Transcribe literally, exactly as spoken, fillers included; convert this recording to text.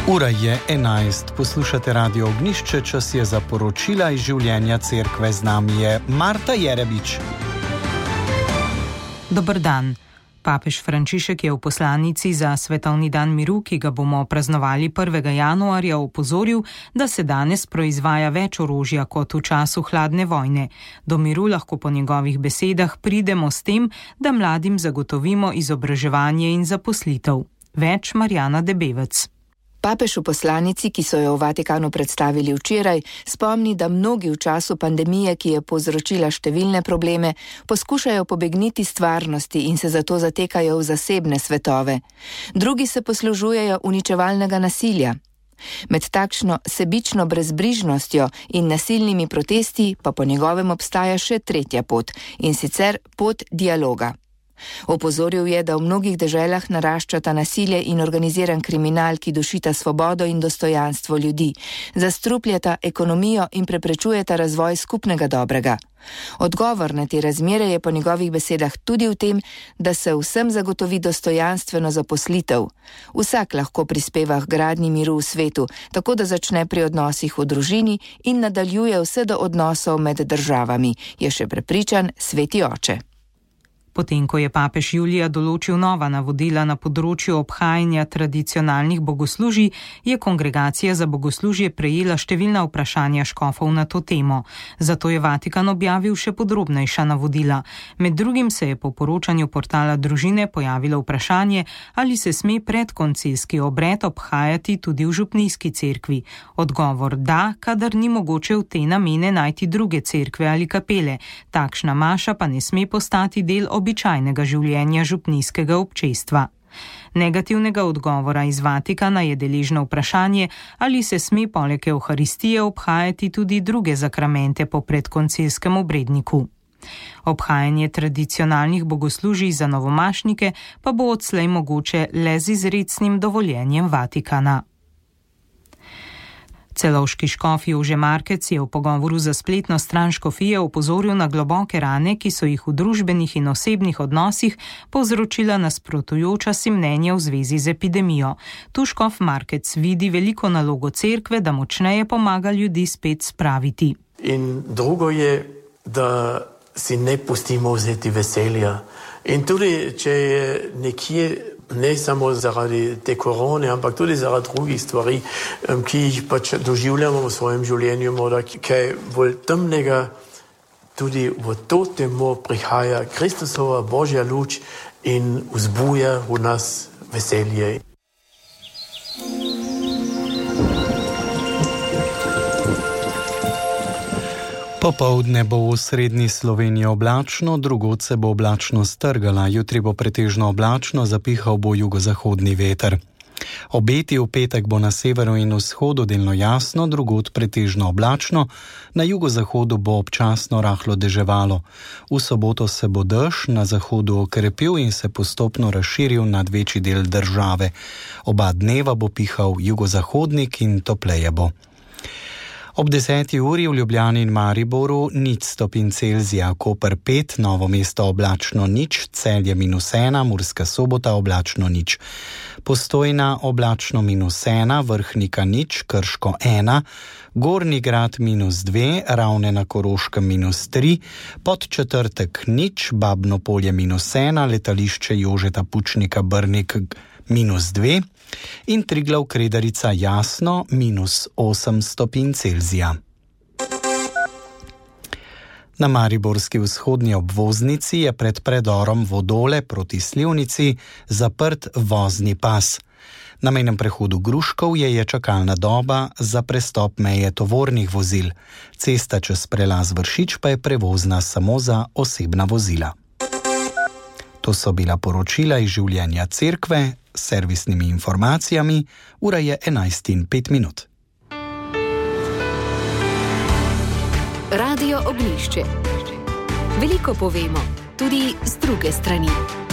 Ura je enajst, poslušate Radio Ognjišče, čas je za poročila iz življenja cerkve, z nami je Marta Jerebič. Dober dan. Papež Frančišek je v poslanici za Svetovni dan miru, ki ga bomo praznovali prvega januarja, opozoril, da se danes proizvaja več orožja kot v času hladne vojne. Do miru lahko po njegovih besedah pridemo s tem, da mladim zagotovimo izobraževanje in zaposlitev. Več Marjana Debevec. Papež v poslanici, ki so jo v Vatikanu predstavili včeraj, spomni, da mnogi v času pandemije, ki je povzročila številne probleme, poskušajo pobegniti stvarnosti in se zato zatekajo v zasebne svetove. Drugi se poslužujejo uničevalnega nasilja. Med takšno sebično brezbrižnostjo in nasilnimi protesti pa po njegovem obstaja še tretja pot, in sicer pot dialoga. Opozoril je, da v mnogih deželah naraščata nasilje in organiziran kriminal, ki dušita svobodo in dostojanstvo ljudi, zastrupljata ekonomijo in preprečujeta razvoj skupnega dobrega. Odgovor na te razmere je po njegovih besedah tudi v tem, da se vsem zagotovi dostojanstveno zaposlitev. Vsak lahko prispeva k gradnji miru v svetu, tako da začne pri odnosih v družini in nadaljuje vse do odnosov med državami, je še prepričan sveti oče. Potem, ko je papež julija določil nova navodila na področju obhajanja tradicionalnih bogoslužij, je Kongregacija za bogoslužje prejela številna vprašanja škofov na to temo. Zato je Vatikan objavil še podrobnejša navodila. Med drugim se je po poročanju portala Družine pojavilo vprašanje, ali se sme predkoncilski obred obhajati tudi v župnijski cerkvi. Odgovor da, kadar ni mogoče v te namene najti druge cerkve ali kapele. Takšna maša pa ne sme postati del običajnega življenja župnijskega občestva. Negativnega odgovora iz Vatikana je deležno vprašanje, ali se sme poleg Evharistije obhajati tudi druge zakramente po predkoncilskem obredniku. Obhajanje tradicionalnih bogoslužij za novomašnike pa bo odslej mogoče le z izrecnim dovoljenjem Vatikana. Celovški škof Jože Markec je v pogovoru za spletno stran škofije opozoril na globoke rane, ki so jih v družbenih in osebnih odnosih povzročila nasprotujoča si mnenja v zvezi z epidemijo. Tu škof Markec vidi veliko nalogo cerkve, da močneje pomaga ljudi spet spraviti. In drugo je, da si ne pustimo vzeti veselja. In tudi, če je nekje ne samo zaradi te korone, ampak tudi zaradi drugih stvari, ki jih pač doživljamo v svojem življenju, morda kaj bolj temnega, tudi v to temo prihaja Kristusova Božja luč in vzbuja v nas veselje. Popoldne bo v srednji Sloveniji oblačno, drugod se bo oblačno strgala, jutri bo pretežno oblačno, zapihal bo jugozahodni veter. Obeti v petek bo na severu in vzhodu delno jasno, drugod pretežno oblačno, na jugozahodu bo občasno rahlo deževalo. V soboto se bo dež na zahodu okrepil in se postopno razširil nad večji del države. Oba dneva bo pihal jugozahodnik in topleje bo. Ob deseti uri v Ljubljani in Mariboru nič stopinj Celzija, Koper pet, Novo mesto oblačno nič, Celje minus ena, Murska Sobota oblačno nič. Postojna oblačno minus ena, Vrhnika nič, Krško ena, Gornji Grad minus dve, Ravne na Koroškem minus tri, Podčetrtek nič, Babno Polje minus ena, Letališče Jožeta Pučnika Brnik minus dve in Triglav Kredarica jasno minus osem stopinj Celzija. Na mariborski vzhodni obvoznici je pred predorom Vodole proti Slivnici zaprt vozni pas. Na mejnem prehodu Gruškovje je čakalna doba za prestop meje tovornih vozil. Cesta čez prelaz Vršič pa je prevozna samo za osebna vozila. To so bila poročila iz življenja cerkve s servisnimi informacijami. Ura je enajst in pet minut. Radio Ognjišče. Veliko povemo, tudi z druge strani.